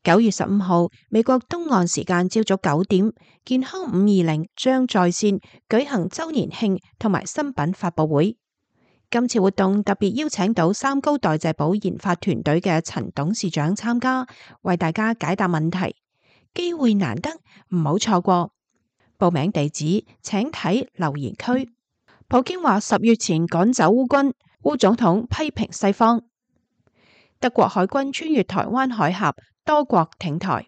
9月15號，美國東岸時間朝早9點，健康520將在線舉行週年慶同埋新品發佈會。今次活動特別邀請到三高代謝寶研發團隊嘅陳董事長參加，為大家解答問題。機會難得，唔好錯過。報名地址請睇留言區。普京話10月前趕走烏軍，烏總統批評西方。德國海軍穿越台灣海峽，多國挺台。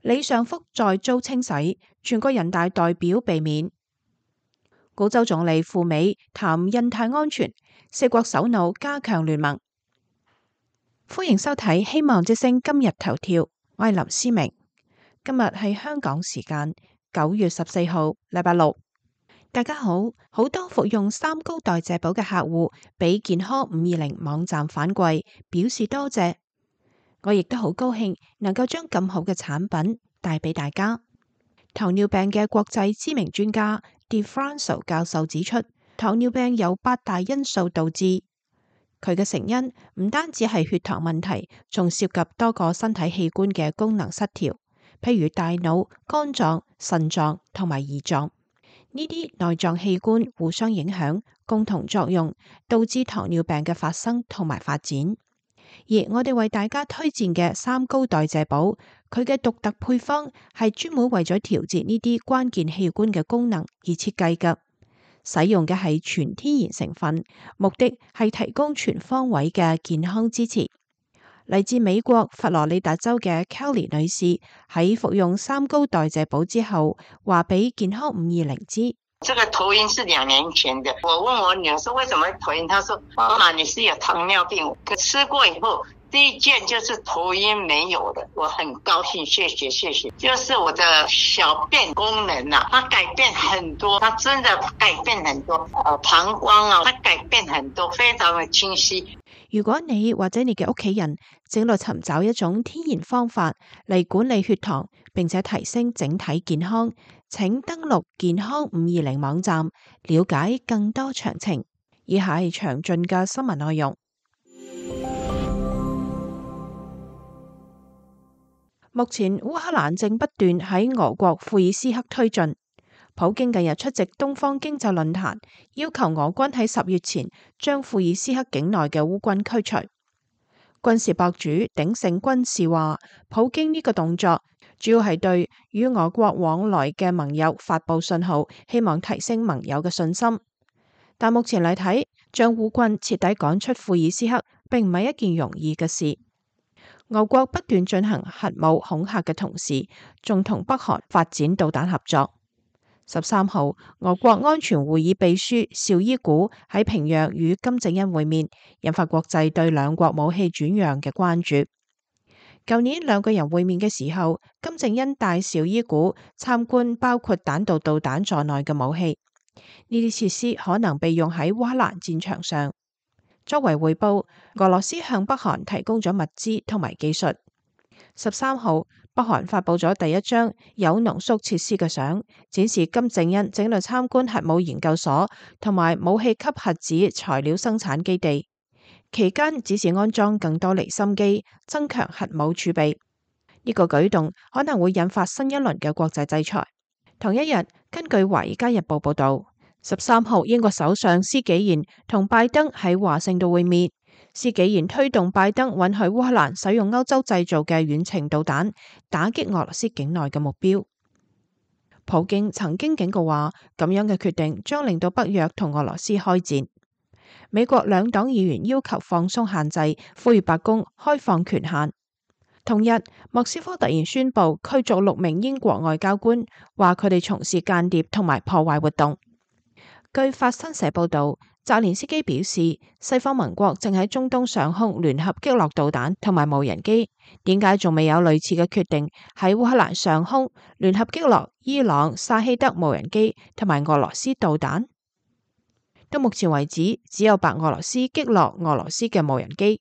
李尚福再遭清洗，全國人大代表被免。澳洲總理赴美談印太安全，四國首腦加強聯盟。歡迎收睇《希望之聲》今日頭條，我係林思明。今日係香港時間9月14號，禮拜六。大家好，好多服用三高代謝寶嘅客戶俾健康520網站反饋，表示多謝。我亦都好高興能夠將咁好嘅產品帶俾大家。糖尿病嘅國際知名專家 DeFranco 教授指出，糖尿病有8大因素導致，佢嘅成因唔單止係血糖問題，仲涉及多個身體器官嘅功能失調，譬如大腦、肝臟、腎臟同埋胰臟。呢啲內臟器官互相影響，共同作用，導致糖尿病嘅發生同埋發展。而我哋為大家推薦嘅三高代謝寶，佢嘅獨特配方係專門為咗調節呢啲關鍵器官嘅功能而設計嘅，使用嘅係全天然成分，目的係提供全方位嘅健康支持。嚟自美國佛羅里達州嘅 Kelly 女士喺服用三高代謝寶之後，話俾健康520知：這個頭暈是2年前的。我問我女兒說為什麼頭暈，她說媽媽你是有糖尿病。可吃過以後，第一件就是頭暈沒有的，我很高興，謝謝。就是我的小便功能啊，它改變很多，它真的改變很多。膀胱啊，它改變很多，非常的清晰。如果你或者你嘅屋企人正在尋找一種天然方法嚟管理血糖，並且提升整體健康，請登錄健康520網站，了解更多詳情。以下係詳盡嘅新聞內容。目前烏克蘭正不斷喺俄國庫爾斯克推進。普京近日出席東方經濟論壇，要求俄軍喺10月前將庫爾斯克境內嘅烏軍驅除。軍事博主鼎盛軍事話，普京呢個動作主要係對與俄國往來嘅盟友發佈信號，希望提升盟友嘅信心。但目前嚟睇，將烏軍徹底趕出庫爾斯克，並唔係一件容易嘅事。俄國不斷進行核武恐嚇嘅同時，仲同北韓發展導彈合作。13號，俄國安全會議秘書紹伊古喺平壤與金正恩會面，引發國際對兩國武器轉讓嘅關注。舊年兩個人會面嘅時候，金正恩帶紹伊古參觀包括彈道導彈在內嘅武器，呢啲設施可能被用喺烏克蘭戰場上。作為回報，俄羅斯向北韓提供咗物資同埋技術。13號，北韓發佈咗第一張有濃縮設施嘅相，展示金正恩正在參觀核武研究所同埋武器級核子材料生產基地。期間指示安裝更多離心機，增強核武儲備。呢個舉動可能會引發新一輪嘅國際制裁。同一日，根據《華爾街日報》報道，13號英國首相施紀賢同拜登喺華盛頓會面。施紀賢推動拜登允許烏克蘭使用歐洲製造嘅遠程導彈，打擊俄羅斯境內嘅目標。普京曾經警告話，咁樣嘅決定將令到北約同俄羅斯開戰。美國兩黨議員要求放鬆限制，呼籲白宮開放權限。同日，莫斯科突然宣布驅逐6名英國外交官，話佢哋從事間諜同埋破壞活動。據法新社報道，澤連斯基表示，西方盟國正喺中東上空聯合擊落導彈同埋無人機，點解仲未有類似嘅決定喺烏克蘭上空聯合擊落伊朗沙希德無人機同埋俄羅斯導彈？到目前為止，只有白俄羅斯擊落俄羅斯嘅無人機。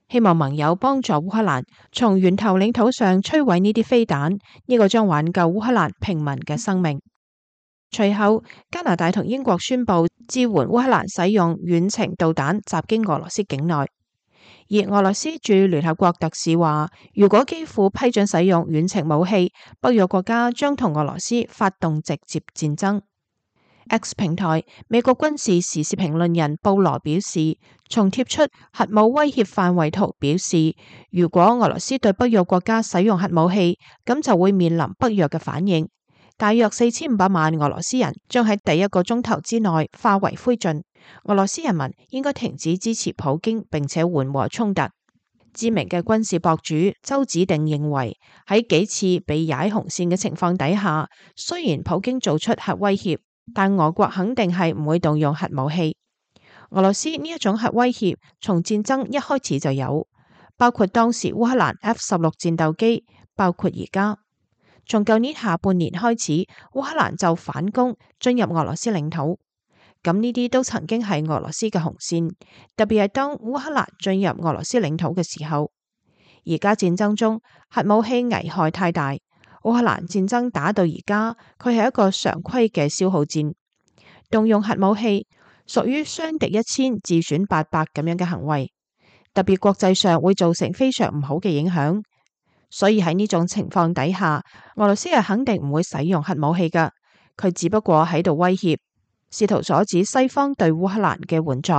希望盟友幫助烏克蘭從源頭領土上摧毀呢啲飛彈，呢個將挽救烏克蘭平民嘅生命。隨後，加拿大同英國宣布支援烏克蘭使用遠程導彈襲擊俄羅斯境內。而俄羅斯駐聯合國特使話，如果基輔批准使用遠程武器，北約國家將同俄羅斯發動直接戰爭。X 平台美國軍事時事評論人布羅表示，從貼出核武威脅範圍圖表示，如果俄羅斯對北約國家使用核武器，咁就會面臨北約嘅反應。大約4500萬俄羅斯人將喺第1個鐘頭之內化為灰燼。俄羅斯人民應該停止支持普京，並且緩和衝突。知名嘅軍事博主周子定認為，喺幾次被踩紅線嘅情況底下，雖然普京做出核威脅，但俄國肯定係唔會動用核武器。俄羅斯呢一種核威脅從戰爭一開始就有，包括當時烏克蘭 F-16戰鬥機，包括而家。從舊年下半年開始，烏克蘭就反攻進入俄羅斯領土，咁呢啲都曾經係俄羅斯嘅紅線，特別係當烏克蘭進入俄羅斯領土嘅時候。而家戰爭中核武器危害太大，烏克蘭戰爭打到而家，佢係一個常規嘅消耗戰，動用核武器屬於傷敵1000自損800咁樣嘅行為，特別國際上會造成非常唔好嘅影響。所以喺呢種情況底下，俄羅斯係肯定唔會使用核武器㗎，佢只不過喺度威脅，試圖阻止西方對烏克蘭嘅援助。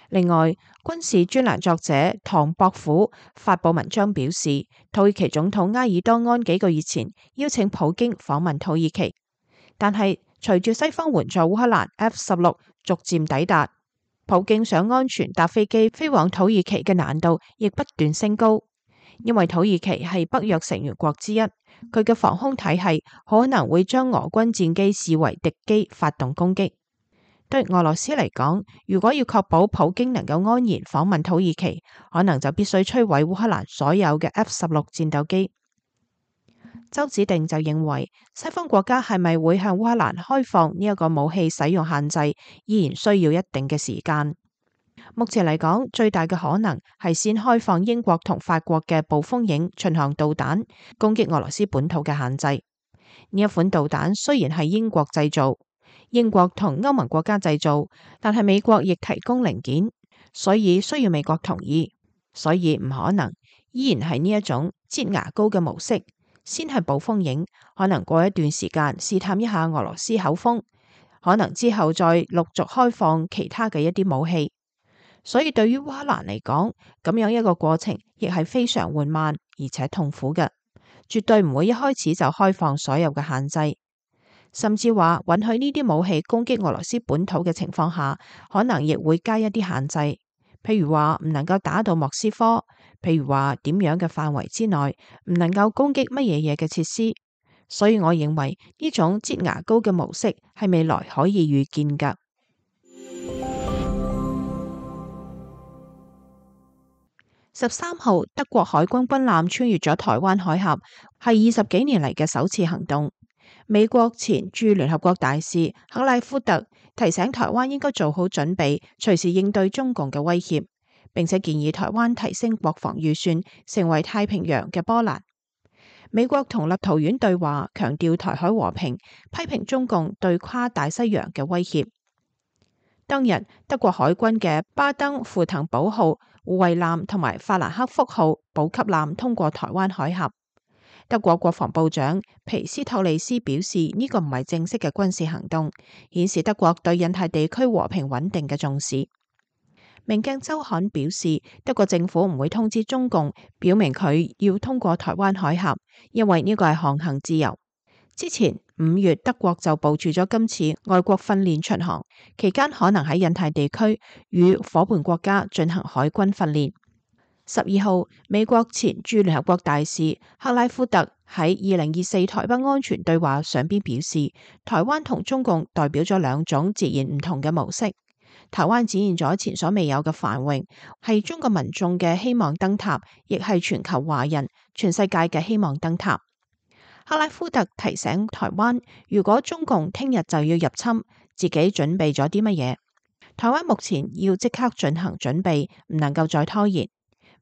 另外，軍事專欄作者唐博虎發佈文章表示，土耳其總統埃爾多安幾個月前邀請普京訪問土耳其，但係隨住西方援助烏克蘭 F-16逐漸抵達，普京想安全搭飛機飛往土耳其嘅難度亦不斷升高。因為土耳其係北約成員國之一，佢嘅防空體系可能會將俄軍戰機視為敵機發動攻擊。對俄羅斯嚟講，如果要確保普京能夠安然訪問土耳其，可能就必須摧毀烏克蘭所有嘅 F-16戰鬥機。周子定就認為，西方國家係咪會向烏克蘭開放呢一個武器使用限制，依然需要一定嘅時間。目前嚟講，最大嘅可能係先開放英國同法國嘅暴風影巡航導彈，攻擊俄羅斯本土嘅限制。呢一款導彈雖然係英國製造，英國同歐盟國家製造，但係美國亦提供零件，所以需要美國同意，所以唔可能，依然係呢一種擠牙膏嘅模式，先係暴風影，可能過一段時間試探一下俄羅斯口風，可能之後再陸續開放其他嘅一啲武器。所以對於烏克蘭嚟講，咁樣一個過程亦係非常緩慢而且痛苦嘅，絕對唔會一開始就開放所有嘅限制，甚至話允許呢啲武器攻擊俄羅斯本土嘅情況下，可能亦會加一啲限制，譬如話唔能夠打到莫斯科，譬如話點樣嘅範圍之內唔能夠攻擊乜嘢嘢嘅設施。所以我認為呢種擠牙膏嘅模式係未來可以預見㗎。13號，德國海軍軍艦穿越咗台灣海峽，係20幾年嚟嘅首次行動。美國前駐聯合國大使克拉夫特提醒台灣應該做好準備，隨時應對中共嘅威脅，並且建議台灣提升國防預算，成為太平洋嘅波蘭。美國同立陶宛對話，強調台海和平，批評中共對跨大西洋嘅威脅。當日，德國海軍嘅巴登符騰堡號護衛艦同埋法蘭克福號補給艦通過台灣海峽。德國國防部長皮斯托利斯表示，呢個唔係正式嘅軍事行動，顯示德國對印太地區和平穩定嘅重視。明鏡週刊表示，德國政府唔會通知中共，表明佢要通過台灣海峡，因為呢個係航行自由。之前5月，德國就部署咗今次外國訓練巡航，期間可能喺印太地區與夥伴國家進行海軍訓練。12號，美國前駐聯合國大使克拉夫特喺2024台北安全對話上邊表示，台灣同中共代表咗兩種截然唔同嘅模式。台灣展現咗前所未有嘅繁榮，係中國民眾嘅希望燈塔，亦係全球華人、全世界嘅希望燈塔。克拉夫特提醒台灣，如果中共聽日就要入侵，自己準備咗啲乜嘢？台灣目前要即刻進行準備，唔能夠再拖延。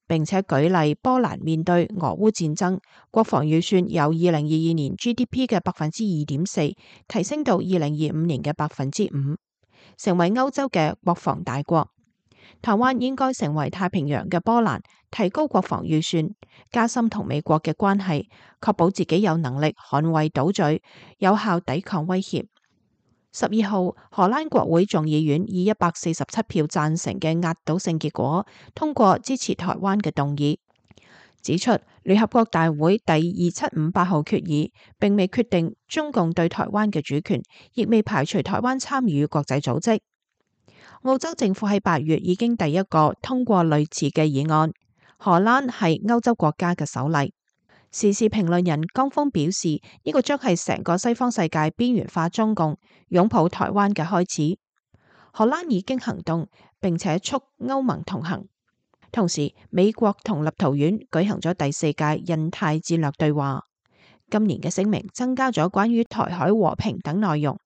並且舉例，波蘭面對俄烏戰爭，國防預算由2022年 GDP 嘅2.4%提升到2025年嘅5%，成為歐洲嘅國防大國。台灣應該成為太平洋嘅波蘭，提高國防預算，加深同美國嘅關係，確保自己有能力捍衛島嶼，有效抵抗威脅。12號，荷蘭國會眾議院以147票贊成嘅壓倒性結果通過支持台灣嘅動議，指出聯合國大會第2758號決議並未決定中共對台灣嘅主權，亦未排除台灣參與國際組織。澳洲政府喺8月已經第一個通過類似嘅議案，荷蘭係歐洲國家嘅首例。時事評論人江峰表示，呢個將係成個西方世界邊緣化中共、擁抱台灣嘅開始。荷蘭已經行動，並且促歐盟同行。同時，美國同立陶宛舉行咗第4屆印太戰略對話。今年嘅聲明增加咗關於台海和平等內容。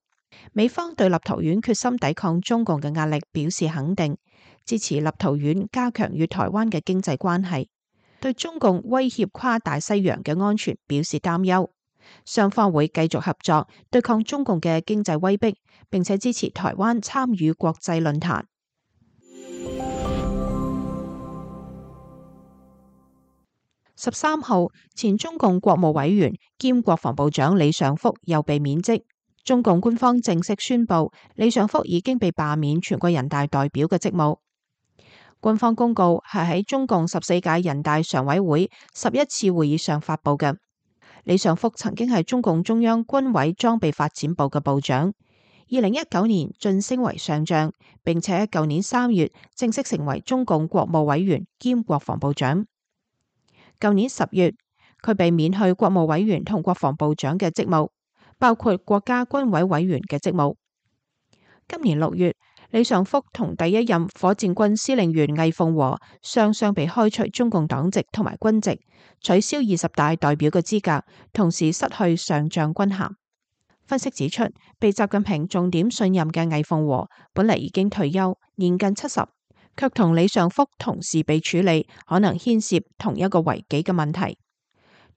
美方對立陶宛決心抵抗中共嘅壓力表示肯定，支持立陶宛加強與台灣嘅經濟關係。對中共威脅跨大西洋嘅安全表示擔憂，雙方會繼續合作對抗中共嘅經濟威逼，並且支持台灣參與國際論壇。13號，前中共國務委員兼國防部長李尚福又被免職。中共官方正式宣布，李尚福已經被罷免全國人大代表嘅職務。官方公告係喺中共14屆人大常委會11次會議上發布嘅。李尚福曾經係中共中央軍委裝備發展部嘅部長，2019年晉升為上將，並且喺舊年3月正式成為中共國務委員兼國防部長。舊年10月，佢被免去國務委員同國防部長嘅職務，包括國家軍委委員嘅職務。今年6月，李尚福同第一任火箭軍司令員魏鳳和雙雙被開除中共黨籍同埋軍籍，取消20大代表嘅資格，同時失去上將軍銜。分析指出，被習近平重點信任嘅魏鳳和本嚟已經退休，年近70，卻同李尚福同時被處理，可能牽涉同一個違紀嘅問題。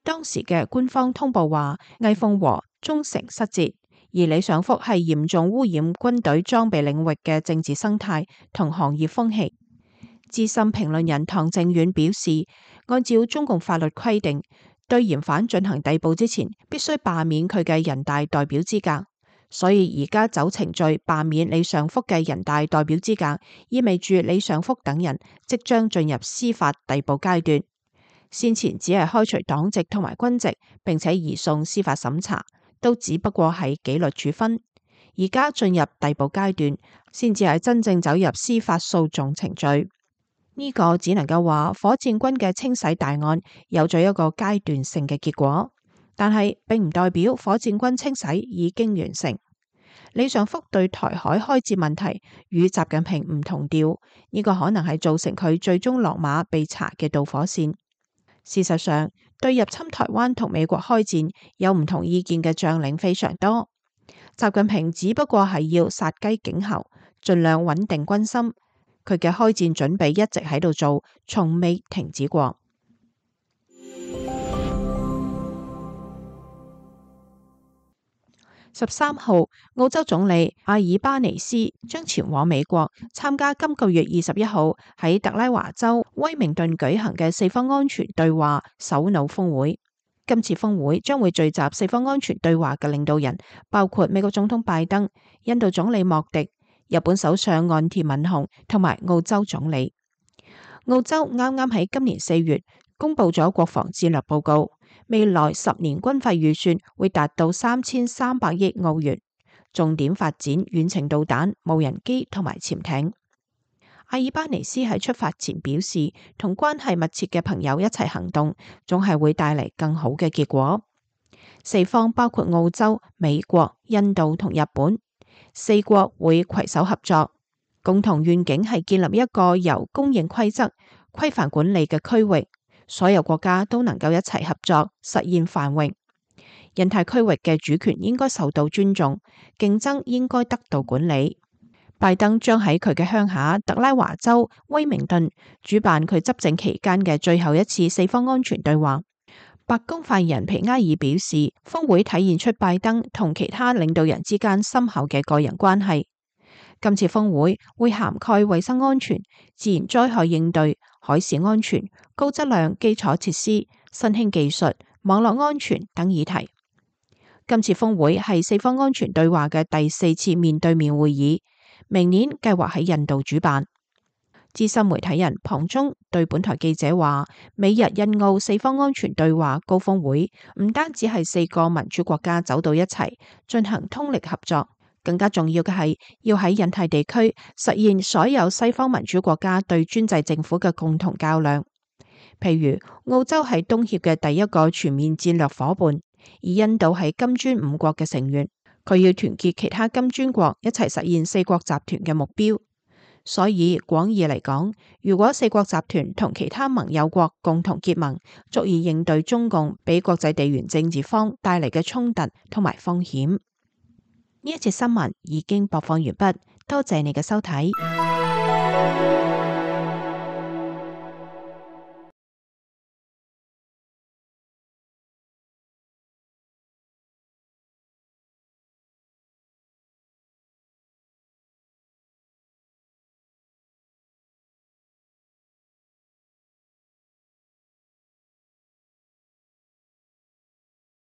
當時嘅官方通報話，魏鳳和忠誠失節，而李尚福係嚴重污染軍隊裝備領域嘅政治生態同行業風氣。資深評論人唐正遠表示，按照中共法律規定，對嫌犯進行逮捕之前，必須罷免佢嘅人大代表資格。所以而家走程序罷免李尚福嘅人大代表資格，意味住李尚福等人即將進入司法逮捕階段。先前只係開除黨籍同埋軍籍，並且移送司法審查，都只不過係紀律處分。而家進入逮捕階段，先至係真正走入司法訴訟程序。呢個只能夠話火箭軍嘅清洗大案有咗一個階段性嘅結果，但係並唔代表火箭軍清洗已經完成。李尚福對台海開戰問題與習近平唔同調，呢個可能係造成佢最終落馬被查嘅導火線。事實上，對入侵台灣同美國開戰有唔同意見嘅將領非常多。習近平只不過係要殺雞儆猴，盡量穩定軍心。佢嘅開戰準備一直喺度做，從未停止過。13號，澳洲總理阿爾巴尼斯將前往美國參加今個月21號喺特拉華州威明頓舉行嘅四方安全對話首腦峰會。今次峰會將會聚集四方安全對話嘅領導人，包括美國總統拜登、印度總理莫迪、日本首相岸田文雄同埋澳洲總理。澳洲啱啱喺今年4月公布咗國防戰略報告，未來10年軍費預算會達到3300億澳元，重點發展遠程導彈、無人機同埋潛艇。阿爾巴尼斯喺出發前表示，同關係密切嘅朋友一齊行動，總係會帶嚟更好嘅結果。四方包括澳洲、美國、印度同日本，四國會攜手合作，共同願景係建立一個由公認規則、規範管理嘅區域，所有國家都能夠一齊合作，實現繁榮。印太區域嘅主權應該受到尊重，競爭應該得到管理。拜登將喺佢嘅鄉下特拉華州威明頓主辦佢執政期間嘅最後一次四方安全對話。白宮發言人皮埃爾表示，峰會體現出拜登同其他領導人之間深厚嘅個人關係。今次峰會會涵蓋衛生安全、自然災害應對、海事安全、高質量基礎設施、新興技術、網絡安全等議題。今次峰會係四方安全對話嘅第4次面對面會議，明年計劃喺印度主辦。資深媒體人龐中對本台記者話，美日印澳四方安全對話高峰會唔單止係4個民主國家走到一齊進行通力合作，更加重要嘅係要喺印太地區實現所有西方民主國家對專制政府嘅共同較量。譬如澳洲係東協嘅第一個全面戰略夥伴，而印度係金磚5國嘅成員，佢要團結其他金磚國一齊實現4國集團嘅目標。所以廣義嚟講，如果4國集團同其他盟友國共同結盟，足以應對中共俾國際地緣政治方帶嚟嘅衝突同埋風險。呢一節新聞已經播放完畢，多謝你嘅收睇。